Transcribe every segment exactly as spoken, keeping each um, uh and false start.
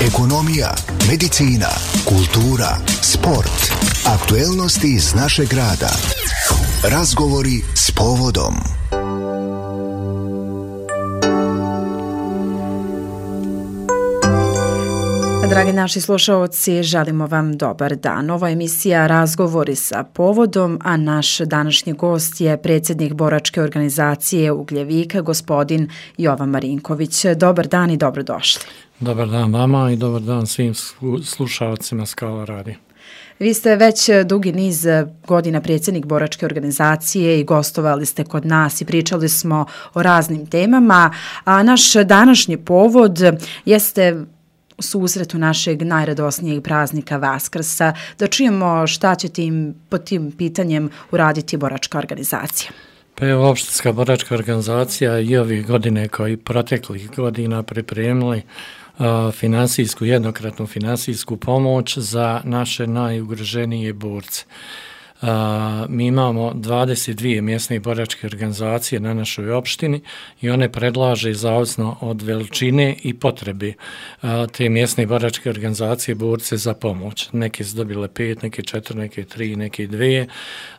ekonomija, medicina, kultura, sport, aktuelnosti iz našeg grada. Razgovori s povodom. Dragi naši slušaoci, želimo vam dobar dan. Ovo je emisija Razgovori sa povodom, a naš današnji gost je predsjednik boračke organizacije Ugljevika, gospodin Jovan Marinković. Dobar dan i dobrodošli. Dobar dan vama i dobar dan svim slušaocima Skala radija. Vi ste već dugi niz godina predsjednik boračke organizacije i gostovali ste kod nas i pričali smo o raznim temama, a naš današnji povod jeste u susretu našeg najradosnijeg praznika Vaskrsa, da čujemo šta će tim, pod tim pitanjem uraditi boračka organizacija. Pa je opštinska boračka organizacija i ovih godine kao i proteklih godina pripremili uh, finansijsku, jednokratnu finansijsku pomoć za naše najugroženije borce. Uh, mi imamo dvadeset dvije mjesne boračke organizacije na našoj opštini i one predlaže zavisno od veličine i potrebe uh, te mjesne boračke organizacije borce za pomoć. Neke su dobile pet, neke četiri, neke tri, neke dvije.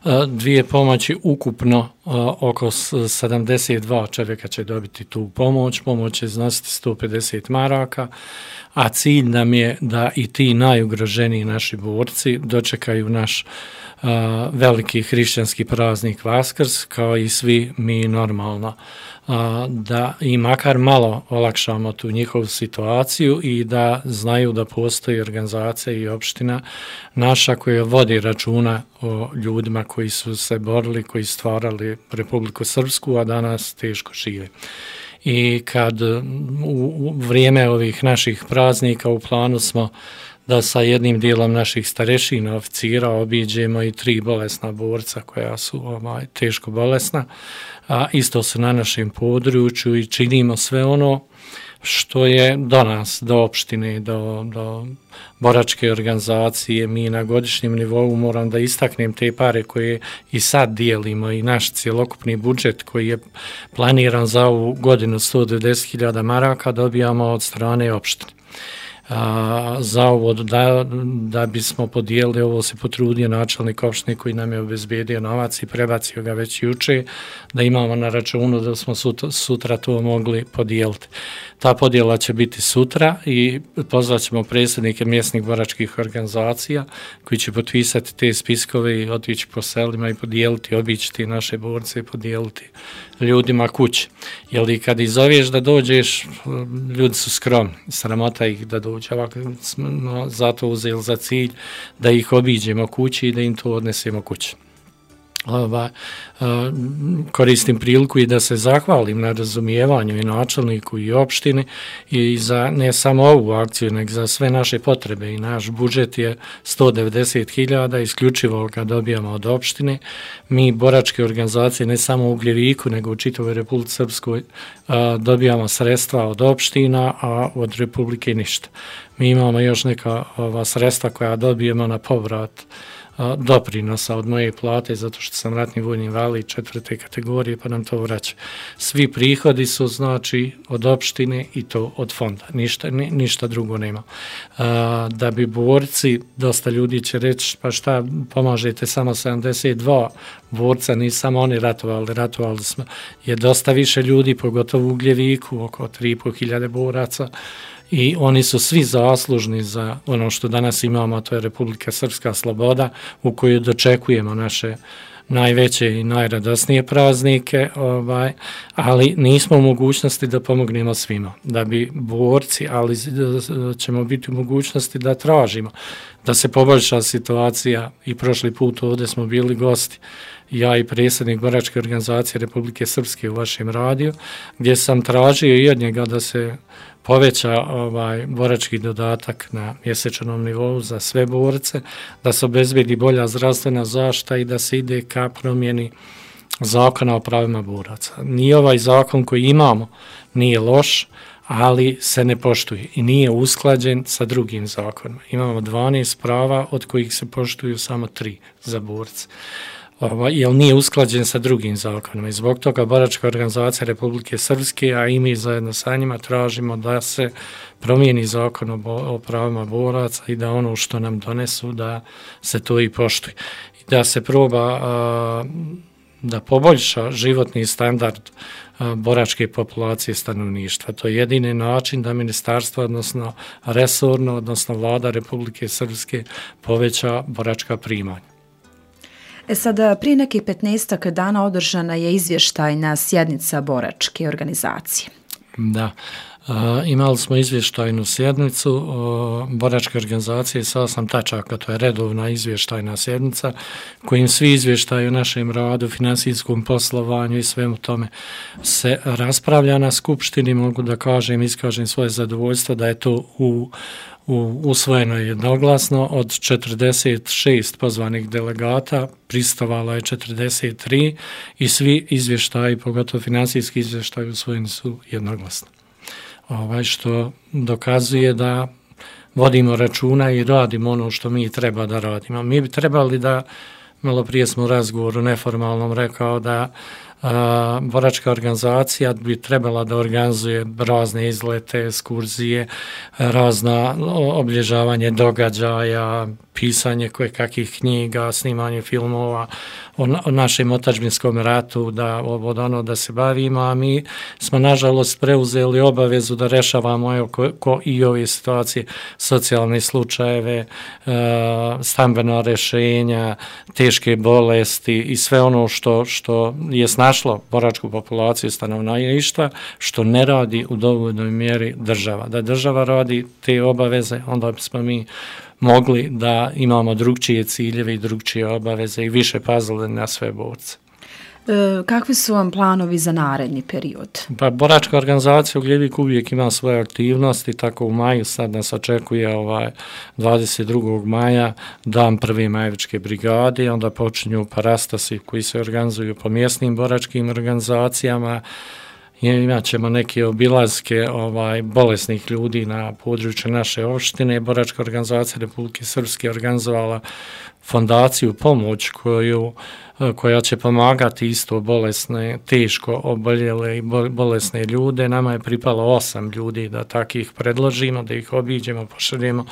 Uh, dvije pomoći ukupno uh, oko sedamdeset dva čovjeka će dobiti tu pomoć. Pomoć će iznositi sto pedeset maraka, a cilj nam je da i ti najugroženiji naši borci dočekaju naš Uh, veliki hrišćanski praznik Vaskrs, kao i svi mi normalno, uh, da i makar malo olakšamo tu njihovu situaciju i da znaju da postoji organizacija i opština naša koja vodi računa o ljudima koji su se borili, koji stvarali Republiku Srpsku, a danas teško žive. I kad u vrijeme ovih naših praznika u planu smo da sa jednim dijelom naših starešina oficira obiđemo i tri bolesna borca koja su ovaj, teško bolesna, a isto su na našem području i činimo sve ono što je do nas, do opštine, do, do boračke organizacije. Mi na godišnjem nivou moram da istaknem te pare koje i sad dijelimo i naš cjelokupni budžet koji je planiran za ovu godinu sto devedeset hiljada maraka dobijamo od strane opštine. A, za ovo da, da bismo podijelili, ovo se potrudio načelnik opštine koji nam je obezbedio novac i prebacio ga već juče, da imamo na računu da smo sutra, sutra to mogli podijeliti. Ta podjela će biti sutra i pozvat ćemo predsjednike mjesnih boračkih organizacija koji će potpisati te spiskove i otići po selima i podijeliti, obići ti naše borce i podijeliti ljudima kući. Jer i kad izoviješ da dođeš, ljudi su skromni, sramota ih da dođe. Ovako smo zato uzeli za cilj da ih obiđemo kući i da im to odnesemo kući. Ova, koristim priliku i da se zahvalim na razumijevanju i načelniku i opštini i za ne samo ovu akciju, nego za sve naše potrebe. I naš budžet je sto devedeset hiljada, isključivo ga dobijamo od opštine. Mi boračke organizacije ne samo u Ugljeviku, nego u čitavoj Republici Srpskoj dobijamo sredstva od opština, a od Republike ništa. Mi imamo još neka ova sredstva koja dobijemo na povrat doprinosa od moje plate, zato što sam ratni vojni invalid četvrte kategorije, pa nam to vraća. Svi prihodi su znači od opštine i to od fonda, ništa, ni, ništa drugo nema. A, da bi borci, dosta ljudi će reći, pa šta, pomažete samo sedamdeset dva borca, nisu samo oni ratovali, ratovali smo, je dosta više ljudi, pogotovo u Ugljeviku, oko tri i pol hiljade boraca, i oni su svi zaslužni za ono što danas imamo, a to je Republika Srpska sloboda, u kojoj dočekujemo naše najveće i najradosnije praznike, ovaj, ali nismo u mogućnosti da pomognemo svima. Da bi borci, ali ćemo biti u mogućnosti da tražimo, da se poboljša situacija. I prošli put ovdje smo bili gosti, ja i predsjednik boračke organizacije Republike Srpske u vašem radiju, gdje sam tražio i od njega da se poveća ovaj borački dodatak na mjesečnom nivou za sve borce, da se obezbedi bolja zdravstvena zaštita i da se ide ka promjeni zakona o pravima boraca. Nije ovaj zakon koji imamo nije loš, ali se ne poštuje i nije usklađen sa drugim zakonima. Imamo dvanaest prava, od kojih se poštuju samo tri za borce. jer nije usklađen sa drugim zakonima. I zbog toga Boračka organizacija Republike Srpske, a i mi zajedno sa njima tražimo da se promijeni zakon o, o pravima boraca i da ono što nam donesu da se to i poštuje. I da se proba a, da poboljša životni standard a, boračke populacije stanovništva. To je jedini način da ministarstvo, odnosno resorno, odnosno vlada Republike Srpske poveća boračka primanja. E sad, prije nekih petnaestak dana održana je izvještajna sjednica Boračke organizacije. Da, e, imali smo izvještajnu sjednicu o Boračke organizacije sa osam tačaka, to je redovna izvještajna sjednica kojim svi izvještaji o našem radu, finansijskom poslovanju i svemu tome se raspravlja na skupštini. Mogu da kažem, iskažem svoje zadovoljstvo da je to u U, usvojeno je jednoglasno. Od četrdeset šest pozvanih delegata pristovalo je četrdeset tri i svi izvještaji, pogotovo finansijski izvještaji, usvojeni su jednoglasno. Ovaj što dokazuje da vodimo računa i radimo ono što mi treba da radimo. Mi bi trebali da, malo prije smo u razgovoru neformalnom rekao da a, Boračka organizacija bi trebala da organizuje razne izlete, ekskurzije, razna obilježavanje događaja, pisanje koje kakvih knjiga, snimanje filmova o, o našem otadžbinskom ratu, da od ono da se bavimo, a mi smo nažalost preuzeli obavezu da rešavamo evo, ko, ko i ove situacije, socijalne slučajeve, e, stambena rešenja, teške bolesti i sve ono što, što je snašlo boračku populaciju stanovništva, što ne radi u dovoljnoj mjeri država. Da država radi te obaveze, onda smo mi mogli da imamo drugčije ciljeve i drugčije obaveze i više pazili na sve borce. E, kakvi su vam planovi za naredni period? Pa Boračka organizacija u Gljeviku uvijek ima svoje aktivnosti, tako u maju sad nas očekuje ovaj dvadeset drugog maja dan prve majevičke brigade, onda počinju parastasi koji se organizuju po mjesnim boračkim organizacijama. Imat ćemo neke obilazke ovaj, bolesnih ljudi na području naše opštine. Boračka organizacija Republike Srpske organizovala fondaciju pomoć koju, koja će pomagati isto bolesne, teško oboljele i bolesne ljude. Nama je pripalo osam ljudi da takih predložimo, da ih obiđemo, pošaljemo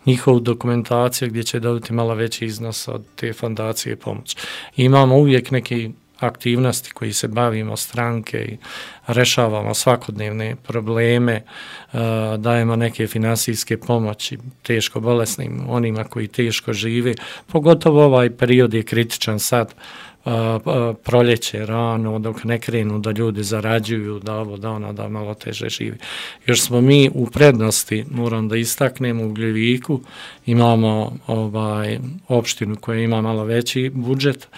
njihovu dokumentaciju gdje će dobiti malo veći iznos od te fondacije pomoć. Imamo uvijek neki aktivnosti koji se bavimo stranke i rešavamo svakodnevne probleme, dajemo neke finansijske pomoći teško bolesnim, onima koji teško žive. Pogotovo ovaj period je kritičan sad, proljeće, rano, dok ne krenu da ljudi zarađuju, da ovo, da ono, da malo teže živi. Još smo mi u prednosti, moram da istaknemo, u Gljeviku imamo ovaj opštinu koja ima malo veći budžet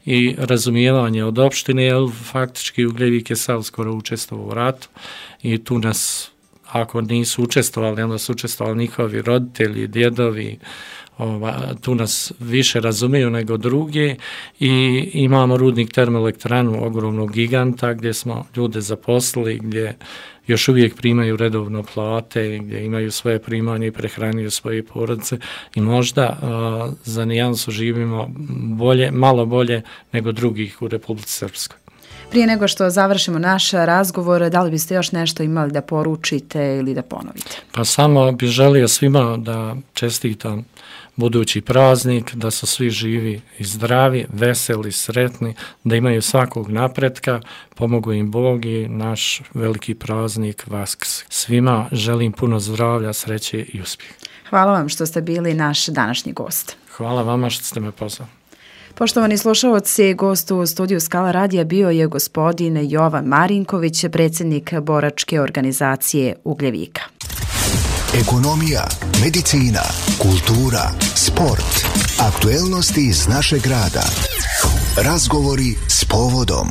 i razumijevanje od opštine, jer faktički u Gljevik je sav skoro učestvovao u ratu i tu nas, ako nisu učestvovali, onda su učestvovali njihovi roditelji, djedovi, ova, tu nas više razumiju nego druge i imamo rudnik termoelektranu ogromnog giganta gdje smo ljude zaposlili, gdje još uvijek primaju redovno plate, gdje imaju svoje primanje i prehranjuju svoje porodice i možda uh, za nijansu živimo bolje, malo bolje nego drugih u Republici Srpskoj. Prije nego što završimo naš razgovor, da li biste još nešto imali da poručite ili da ponovite? Pa samo bih želio svima da čestitam budući praznik, da su svi živi i zdravi, veseli, sretni, da imaju svakog napretka, pomogu im Bog i naš veliki praznik Vaskrs. Svima želim puno zdravlja, sreće i uspjeha. Hvala vam što ste bili naš današnji gost. Hvala vama što ste me pozvali. Poštovani slušalci, gost u studiju Skala radija bio je gospodin Jovan Marinković, predsjednik Boračke organizacije Ugljevika. Ekonomija, medicina, kultura, sport, aktuelnosti iz našeg grada. Razgovori s povodom.